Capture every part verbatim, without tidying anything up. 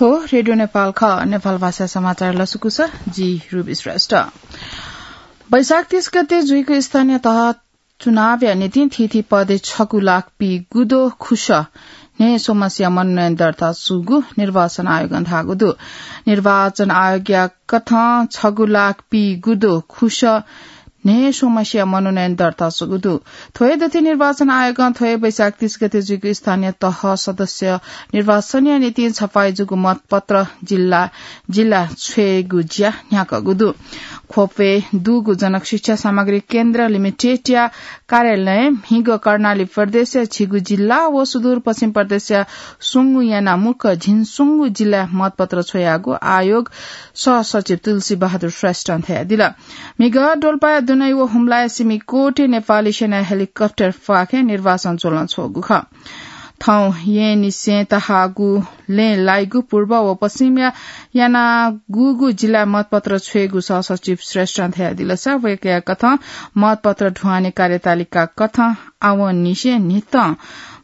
थ्व रेडियो नेपाल खः। नेपाल भाषा समाचार लसकुस, जि रुबी श्रेष्ठ। वैशाख तीस गते जुइगु स्थानीय तह चुनावया निंतिं थीथी पदय् छगू लाख पीगुदो खुस न्हय् स्वम्हसिया मनोनयन दर्ता जूगु निर्वाचन आयोगं धाःगु दु। निर्वाचन आयोगया कथं छगू लाख पीगुदो खुस न्हय् स्वम्हसिया मनोनयन दर्ता जूगु दु। थ्व हे दथुइ निर्वाचन आयोगं थ्व हे वैशाख तीस गते जुइगु स्थानीय तह सदस्य निर्वाचनया निंतिं छपाई जूगु मतपत्र जिल्ला जिल्ला छ्वयेगु ज्या न्ह्याकागु दु। ख्वपय् दुगु जनक शिक्षा सामग्री केन्द्र लिमिटेडया कार्यालयं म्हिगः कर्णाली प्रदेशया झिगू जिल्ला व सुदूरपश्चिम प्रदेशया स्वंगू यानाः मुक्क झिंस्वंगू जिल्लाय् मतपत्र छ्वयागु आयोग सहसचिव तुलसी बहादुर श्रेष्ठं धयादिल। म्हिगः डोल्पाया दुनै व हुम्लाया सिमिकोटय् नेपाली सेनाया हेलिकप्टर प्वाखय् निर्वाचन ज्वलं छ्वःगु खः। थौं येँनिसें तहाःगु लँय् लाइगु पूर्व व पश्चिमया यानाः गुगु जिल्लाय् मतपत्र छ्वयेगु सहसचिव श्रेष्ठं धयादिलसा वय्कःया कथं मतपत्र ढुवानी कार्यतालिका कथं आवंनिसें न्हितं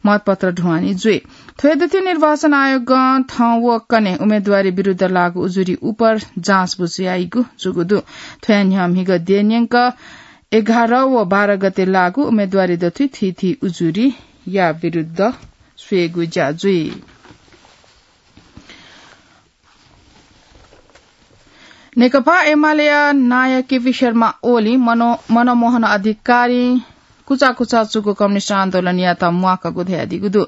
मतपत्र ढुवानी जुइ। थ्व हे दथुइ निर्वाचन आयोगं थौं व कन्हय् उम्मेदवारी विरुद्ध लाःगु उजुरी उपर जाँचबुझ याइगु जूगु दु। थ्वया न्ह्यः म्हिगः देय् न्यंक एघार व बाह्र गते लाःगु उम्मेदवारी दथुइ थीथी उजुरीया विरुद्ध स्वयेगु ज्या जुइ। नेकपा एमालेया नायः केपी शर्मा ओलीं मनो-, मनमोहन अधिकारीं कुचाकुचा जूगु कम्युनिस्ट आन्दोलनयात म्वाकागु धयादीगु दु।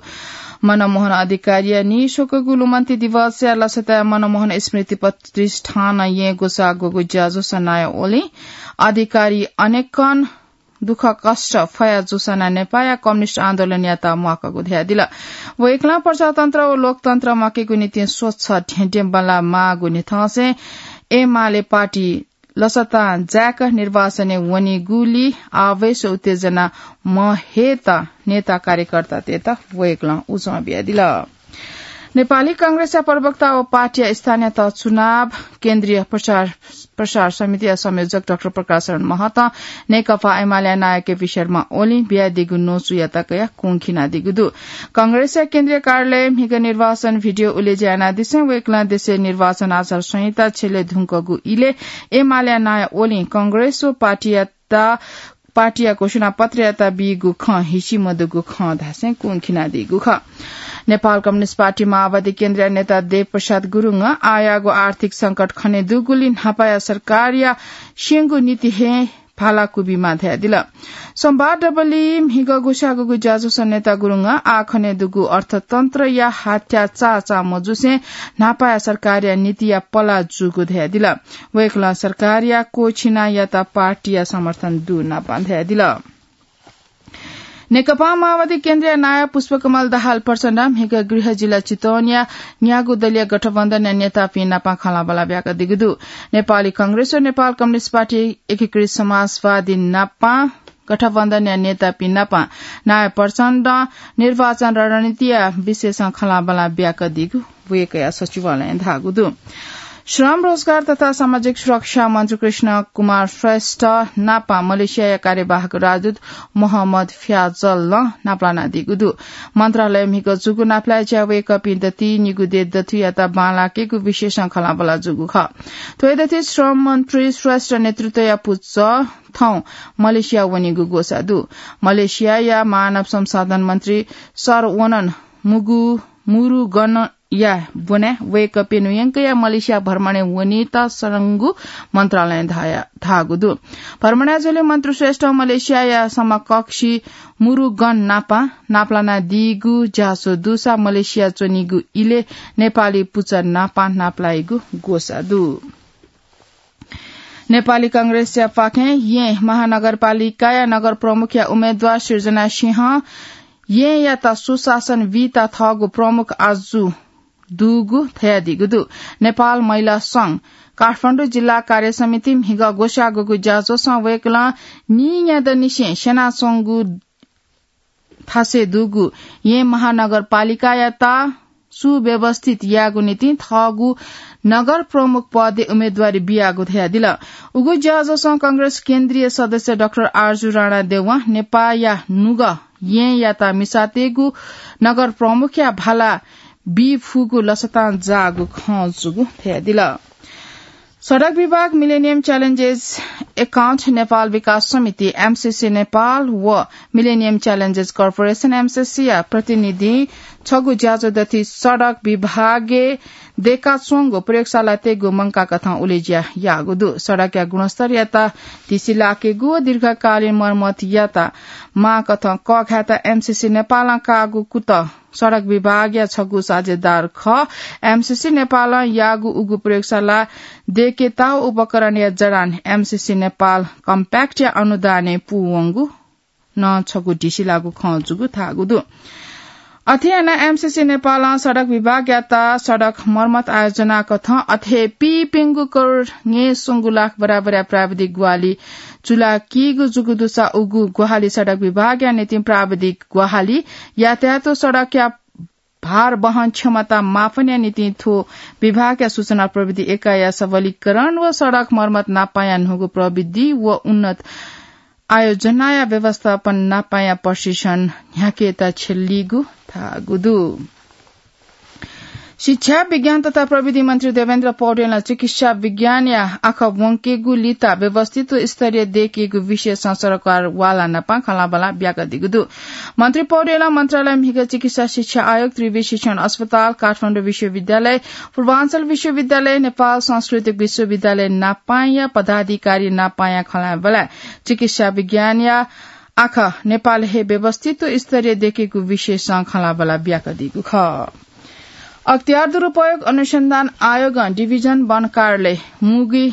मनमोहन अधिकारीया नीस्वकःगु लुमन्ति दिवसया लसताय् मनमोहन स्मृति प्रतिष्ठानं येँ ग्वसाः ग्वःगु ज्याझ्वलय् नायः ओलीं अधिकारी अनेकं दुःख कष्ट फया जूसां नं नेपाःया कम्युनिस्ट आन्दोलनयात म्वाकागु धयादिल। वय्कलं प्रजातन्त्र व लोकतन्त्र म्वाकेगु निंतिं स्वच्छ ढेंढेंबल्लाः माःगु न्ह्यथंसें एमाले पार्टी लसतां जाय्क निर्वाचनय् वनीगुलिं आवेश उत्तेजना म्हयेत नेता कार्यकर्तातय्त वय्कलं उजं बियादिल। नेपाली कांग्रेसया प्रवक्ता व पार्टीया स्थानीय तह चुनाव केन्द्रीय प्रचार प्रसार समितिया संयोजक डाक्टर प्रकाश शरण महतं नेकपा एमालेया नायः केपी शर्मा ओलीं बियादीगु न्वचुयात कयाः कुंखिनादीगु दु। कांग्रेसया केन्द्रीय कार्यालयं म्हिगः निर्वाचन भिडियो उलेज्या यानादिसें वय्कलं देशय् निर्वाचन आचार संहिता छ्यले धुंकूगु इलय् एमालेया नायः ओलीं कांग्रेस व पार्टीयात पार्टीया घोषणापत्रयात बीगु खँ हिसि मदुगु खँ धासें कुंखिनादीगु खः। नेपाल कम्युनिस्ट पार्टी माओवादी केन्द्रया नेता देवप्रसाद गुरुङं आःयागु आर्थिक संकट खनेदुगुलिं न्हापाया सरकारया स्यंगू नीति हे भाला कुबीमा धयादिल। संवाद डबली म्हिगः ग्वसाः ग्वःगु ज्याझ्वलय् नेता गुरुङं आः खनेदुगु अर्थतन्त्रया हात्या चाचां मजुसें न्हापाया सरकारया नीतिया पला जूगु धयादिल। वय्कलं सरकारया क्वःछिनायात पार्टीया समर्थन दु नापं धयादिल। नेकपा माओवादी केन्द्रया नायः पुष्पकमल दाहाल प्रचण्डं म्हिगः गृह जिल्ला चितवनया न्यागू दलीय गठबन्धनया नेतापिं नापं खँल्हाबल्हा ब्याकादीगु दु। नेपाली कांग्रेस व नेपाल कम्युनिस्ट पार्टी एकीकृत समाजवादी नापं गठबन्धनया नेतापिं नापं नायः प्रचण्डं निर्वाचन रणनीतिया विषयसं खँल्हाबल्हा ब्याकादीगु वय्कःया सचिवालयं धाःगु दु। श्रम, रोजगार तथा सामाजिक सुरक्षा मन्त्री कृष्ण कुमार श्रेष्ठ नापं मलेसियाया कार्यवाहक राजदूत मोहम्मद फ्याजलं नापलानादीगु दु। मन्त्रालयं म्हिगः जूगु नापलाये ज्या वय्कःपिं दथुइ निगू देय् दथुयात बांलाकेगु विषयसं खँल्हाबल्हा जूगु खः। थ्व हे दथुइ श्रम मन्त्री श्रेष्ठ नेतृत्वया पुचः थौं मलेसिया वनीगु ग्वसाः दु। मलेसियाया मानव संसाधन मन्त्री सरवनन मुगु मुरुगनया ब्वनाय् वय्कः प्यन्हु यंकया मलेसिया भ्रमणय् वनेत सनंगु मन्त्रालयं धाया-, धाःगु दु। भ्रमणया झ्वलय् मन्त्री श्रेष्ठ मलेसियाया समकक्षी मुरुगन नापं नापलानादीगु ज्याझ्वः दुसा मलेसिया च्वनीगु इलय् नेपाली पुचः नापं नापलाइगु ग्वसाः दु। नेपाली कांग्रेसया पाखें येँ महानगरपालिकाया नगर प्रमुखया उम्मेद्वार सृजना सिंहं येँयात सुशासन बीत थःगु प्रमुख आजु दुगु धयादीगु दु। नेपाल महिला संघ काठमाडौं जिल्ला कार्य समितिं म्हिगः ग्वसाः ग्वःगु ज्याझ्वलय् वय्कलं नीन्यादँनिसें स्यनाच्वंगु थासय् दुगु येँ महानगरपालिकायात सुव्यवस्थित यायेगु निंतिं थःगु नगर प्रमुख पदय् उम्मेदवारी बियागु धयादिल। उगु ज्याझ्वलय् कांग्रेस केन्द्रीय सदस्य डाक्टर आरजु राणा देवं नेपाःया नुगः येँयात मिसातय्गु नगर प्रमुखया भाला बी फुगु लसतां जाःगु खँ जूगु धयादिल। सडक विभाग, मिलेनियम च्यालेन्जेस एकाउन्ट, नेपाल विकास समिति, एमसीसी नेपाल व मिलेनियम च्यालेन्जेस कर्पोरेसन, एमसीसी या प्रतिनिधि छगू ज्याझ्वः दथुइ सडक विभागय् दय्काच्वंगु प्रयोगशालातय्गु मंकाकथं उलेज्या याःगु दु। सडकया गुणस्तरयात धिसिलाकेगु व दीर्घकालीन मर्मतयात माःकथं कःघायेत एमसीसी नेपालं काःगु कुतः सडक विभागया छगू साझेदार खः। एमसीसी नेपालं याःगु उगु प्रयोगशाला दय्केत व उपकरणया जडान एमसीसी नेपाल कम्प्याक्टया अनुदानय् पूवंगु नं छगू धिसिलाःगु खँ जूगु धाःगु दु। अथे यानाः एमसीसी नेपालं सडक विभागयात सडक मर्मत आयोजनाकथं अथे हे पीप्यंगू करोड न्यय्स्वंगू लाख बराबरया प्राविधिक ग्वाहालि चुलाकीगु जूगु दुसा उगु ग्वाहालि सडक विभागया निंतिं प्राविधिक ग्वाहालि, यातायात व सडकया भार वहन क्षमता मापनया निंतिं थ्व विभागया सूचना प्रविधि एकाइया सबलीकरण व सडक मर्मत नापांया न्हूगु प्रविधि व उन्नत आयोजनाया व्यवस्थापन नापांया प्रशिक्षण न्ह्याकेत छ्यलीगु धाःगु दु। शिक्षा, विज्ञान तथा प्रविधि मन्त्री देवेन्द्र पौडेलं चिकित्सा विज्ञानया आखः ब्वंकेगु लिता व्यवस्थित व स्तरीय दय्केगु विषयसं सरोकारवाला नाप खँल्हाबल्हा ब्याकादीगु दु। मन्त्री पौडेलं मन्त्रालय म्हिगः चिकित्सा शिक्षा आयोग, त्रिवि शिक्षण अस्पताल, काठमाडौं विश्वविद्यालय, पूर्वाञ्चल विश्वविद्यालय, नेपाल सांस्कृतिक विश्वविद्यालय नापांया पदाधिकारी नापांया खँल्हाबल्हाय् चिकित्सा विज्ञानया आखः नेपालय् हे व्यवस्थित व स्तरीय दय्केगु विषयसं खँल्हाबल्हा ब्याकादीगु खः। अख्तियार दुरुपयोग अनुसन्धान आयोगं डिभिजन वन कार्यालय मुगुइ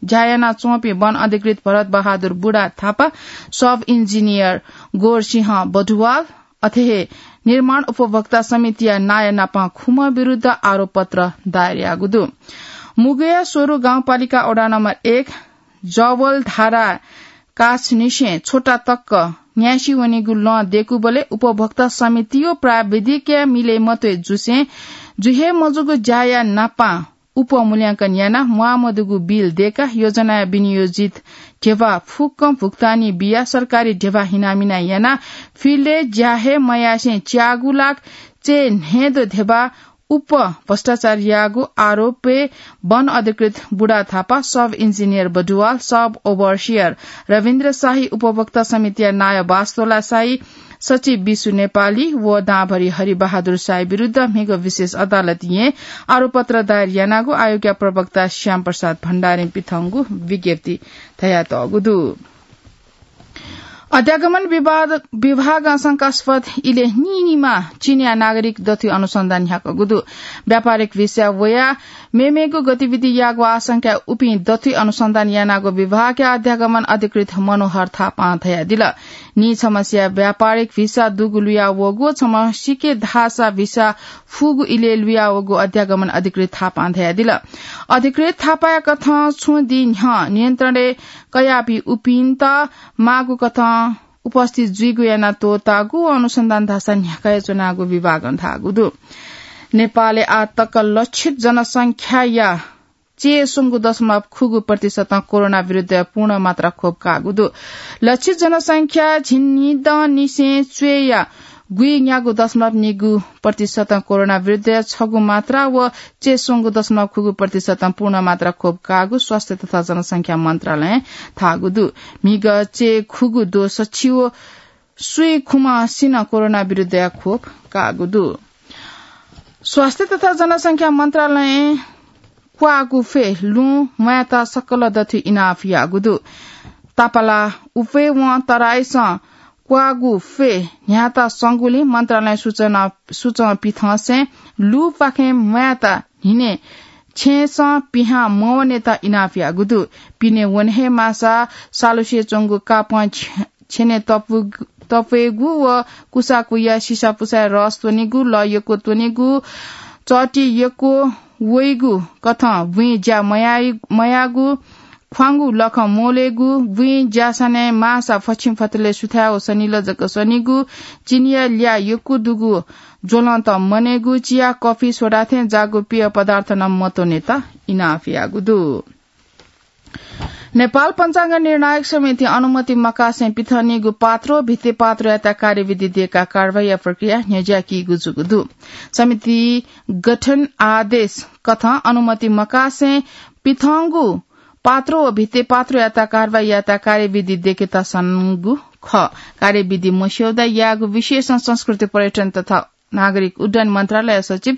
ज्या यानाच्वंपिं वन अधिकृत भरत बहादुर बुढा थापा, सब इन्जिनियर गोरसिंह बढुवाल, अथे हे निर्माण उपभोक्ता समितिया नायः नाप खुम्ह विरुद्ध आरोपपत्र दायर याःगु दु। मुगुया स्वरु गाउँपालिका वडा नम्बर एक जवलधारा काछनिसें छोटा तक न्यासि वनीगु लँ दय्कूबलय् उपभोक्ता समिति व प्राविधिकया मिलय् मत्वय् जुसें जुहे मजूगु ज्याया नाप उपमूल्यांकन यानाः म्वाःमदुगु बिल दय्काः योजनाया विनियोजित ध्यबा फुक्कं भुक्तानी बियाः सरकारी ध्यबा हिनामिना यानाः फिल्डय् ज्या हे मयासें च्यागू लाख चय् न्हय्दँ ध्यबा उप भ्रष्टाचार याःगु आरोपय् वन अधिकृत बुढा थापा, सब इन्जिनियर बढुवाल, सब ओभरसियर रविन्द्र शाही, उपभोक्ता समितिया नायः बास्तोला शाही, सचिव विशु नेपाली व दांभरि हरिबहादुर शाही विरुद्ध म्हिगः विशेष अदालतय् आरोपपत्र दायर यानागु आयोगया प्रवक्ता श्यामप्रसाद भण्डारीं पिथंगू विज्ञप्ति धयातःगु दु। अध्यागमन विभाग, विभागं शंकास्पद इलय् नीनिमा चीनया नागरिक दथुइ अनुसन्धान न्ह्याकूगु दु। व्यापारिक भिसा वयाः मेमेगु गतिविधि याःगु आशंकाय् उपिं दथुइ अनुसन्धान यानागु विभागया अध्यागमन अधिकृत मनोहर थापां धयादिल। नीछम्हसिया व्यापारिक भिसा दुगु लुयावःगु, छम्ह सिके धाःसा भिसा फुगु इलय् लुयावःगु अध्यागमन अधिकृत थापां धयादिल। अधिकृत थापाया कथं छुं दिं न्ह्यः नियन्त्रणय् कयाः उपिन्त माःगु कथं उपस्थित जुइगु याना त्वःतागु व अनुसन्धान धाःसा न्ह्याकाच्वनागु विभागं धाःगु दु। नेपालय् आः तक लक्षित जनसंख्याया च्यय् स्वंगू दशमलव खुगू प्रतिशतं कोरोना विरुद्धया पूर्ण मात्रा खोप काःगु दु। लक्षित जनसंख्या झिंनिदँनिसें च्वय्या गुइन्यागू दशमलव निगू प्रतिशतं कोरोना विरुद्धया छगू मात्रा व च्यय् स्वंगू दशमलव खुगू प्रतिशतं पूर्ण मात्रा खोप काःगु स्वास्थ्य तथा जनसंख्या मन्त्रालयं धाःगु दु। म्हिगः च्यय् खुगू द्वःसछि व स्वीखुम्हसिनं कोरोना विरुद्धया खोप काःगु दु। स्वास्थ्य तथा जनसंख्या मन्त्रालयं क्वाःगु फ्वय् लुँ म्वायेत सकल दथुइ इनाप याःगु दु। तापाला उफय् वं तराईसं क्वाःगु फ्वय् न्ह्यात संगुलिं मन्त्रालयं सूचना, सूचं पिथंसें लुँपाखें म्वायेत न्हिने छेँसं पिहां मवनेत इनाप याःगु दु। पिने वने हे माःसा सालुसे च्वंगु कापं छ्यने तपु-, तप्वयेगु व कुसाकुया सिसापुसाय् रस त्वनेगु, लः यक्व त्वनेगु, चःति यक्व वइगु कथं बुँइ ज्या मयाइ-, मयाःगु, ख्वांगु लखं मोलेगु, बुँइ ज्यासनय् माःसा फछिं फतलय् सुथाय् व सनिल जक सनेगु, चिनिया ल्या यक्व दुगु ज्वलंत मनेगु, चिया, कफी, सोडा थें जाःगु पेय पदार्थ नं मत्वनेत इनाप याःगु दु। नेपाल पञ्चाङ्ग निर्णायक समिति अनुमति मकासें पिथंनिगु पात्रो भित्ते पात्रोयात कार्यविधि देका कारवाहीया प्रक्रिया न्ह्यज्याकीगु जूगु दु। समिति गठन आदेश कथं अनुमति मकासें पिथंगु पात्रो व भित्ते पात्रोयात कारवाहीयात कार्यविधि देकेत सनगु खः। कार्यविधि मस्यौदा याःगु विशेषं संस्कृति पर्यटन तथा नागरिक उड्डयन मन्त्रालय सचिव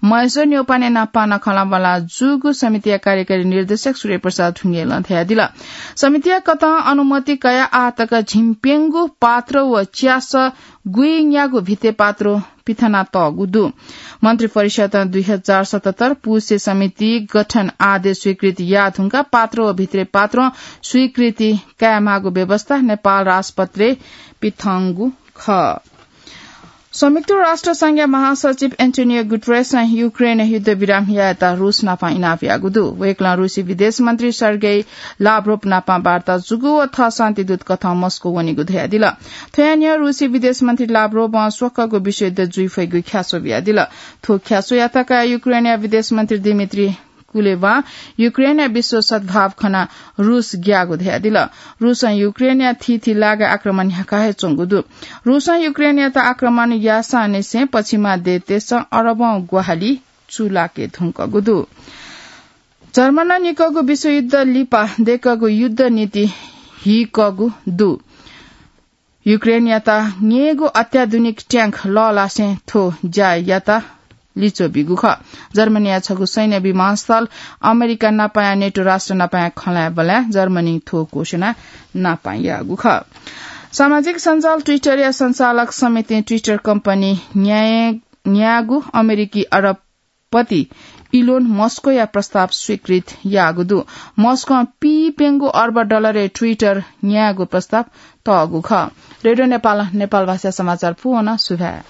महेश्वर न्यौपाने नापं खँल्हाबल्हा जूगु समितिया कार्यकारी निर्देशक सूर्य प्रसाद ढुङ्गेलं धयादिल। समितिया कथं अनुमति कयाः आः तक झिंप्यंगू पात्रो व च्यासः गुइन्यागू भित्ते पात्रो पिथना तःगु दु। मन्त्री परिषदं दुई हजार सतहत्तर पुसे समिति गठन आदेश स्वीकृति याः धुंका पात्रो व भित्ते पात्रों स्वीकृति कायेमाःगु व्यवस्था नेपाल राजपत्रे पिथंगु खः। संयुक्त राष्ट्र संघया महासचिव एन्टोनियो गुटरेसं युक्रेन युद्धविराम यायेत रूस नापं इनाप याःगु दु। वय्कलं रूसी विदेश मन्त्री सर्गेई लाभ्रोभ नापं वार्ता जूगु व थः शान्तिदूत कथं मस्को वनेगु धयादिल। थ्वया न्ह्यः रूसी विदेश मन्त्री लाभ्रोभं स्वकःगु विश्वयुद्ध जुइ फइगु ख्याच्वः बियादिल। थ्व ख्याच्वःयात कयाः युक्रेनया विदेश मन्त्री दिमित्री कुलेबां युक्रेनया विश्व सद्भाव खनाः रूस ग्याःगु धयादिल। रूसं युक्रेनया थीथी लागाय् आक्रमण न्ह्याका हे च्वंगु दु। रूसं युक्रेनयात आक्रमण याःसांनिसें पछिमा देशतय्सं अरबं ग्वाहालि चूलाके धुंकूगु दु। जर्मनं निकःगु विश्वयुद्ध लिपा दय्कःगु युद्ध नीति हीकःगु दु। युक्रेनयात न्यय्गू अत्याधुनिक ट्याङ्क लःल्हासें थ्व ज्यायात लिच्वः बीगु खः। जर्मनीया छगू सैन्य विमानस्थल अमेरिका नापंया नेटो राष्ट्र नापंया खँल्हाबल्हाय् जर्मनीं थ्व घोषणा नापं याःगु खः। सामाजिक सञ्जाल Twitter-या सञ्चालक समितिं Twitter कम्पनी न्याये-, न्यायेगु अमेरिकी अरब पति इलोन मस्कया प्रस्ताव स्वीकृत याःगु दु। मस्कं पीप्यंगू अर्ब डलरय् Twitter न्यायेगु प्रस्ताव तःगु खः। रेडियो नेपालं नेपाल भाषा समाचार पूवन सुभाय्।